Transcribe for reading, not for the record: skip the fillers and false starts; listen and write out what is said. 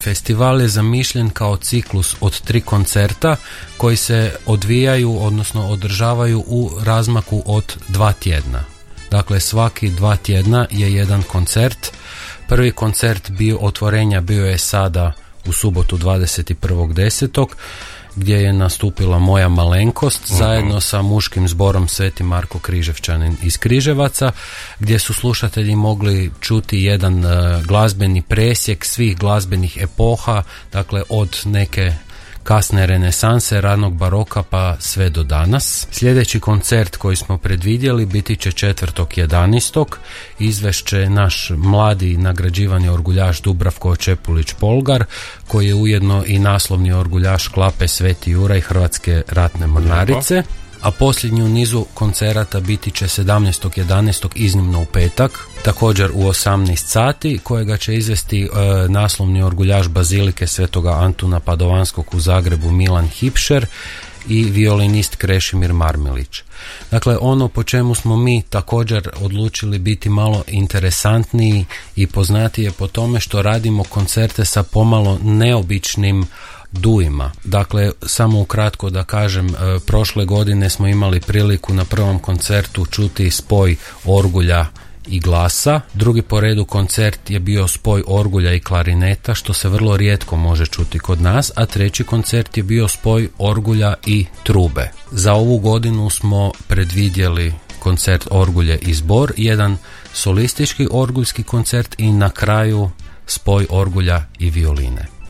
festival je zamišljen kao ciklus od 3 koncerta koji se odvijaju, odnosno održavaju u razmaku od 2 tjedna. Dakle, svaki 2 tjedna je jedan koncert. Prvi koncert otvorenja bio je sada u subotu 21.10. gdje je nastupila Moja malenkost zajedno sa muškim zborom Sveti Marko Križevčanin iz Križevaca, gdje su slušatelji mogli čuti jedan glazbeni presjek svih glazbenih epoha, dakle od neke kasne renesanse, ranog baroka pa sve do danas. Sljedeći koncert koji smo predvidjeli biti će 4.11. Izvešće naš mladi nagrađivani orguljaš Dubravko Čepulić-Polgar, koji je ujedno i naslovni orguljaš Klape Sveti Juraj Hrvatske ratne mornarice. A posljednji u nizu koncerata biti će 17.11. iznimno u petak, također u 18 sati, kojega će izvesti naslovni orguljaš Bazilike Svetoga Antuna Padovanskog u Zagrebu Milan Hipšer i violinist Krešimir Marmelić. Dakle, ono po čemu smo mi također odlučili biti malo interesantniji i poznatiji je po tome što radimo koncerte sa pomalo neobičnim duima. Dakle, samo ukratko da kažem, prošle godine smo imali priliku na prvom koncertu čuti spoj orgulja i glasa. Drugi po redu koncert je bio spoj orgulja i klarineta, što se vrlo rijetko može čuti kod nas, a treći koncert je bio spoj orgulja i trube. Za ovu godinu smo predvidjeli koncert orgulje i zbor, jedan solistički orguljski koncert i na kraju spoj orgulja i violine.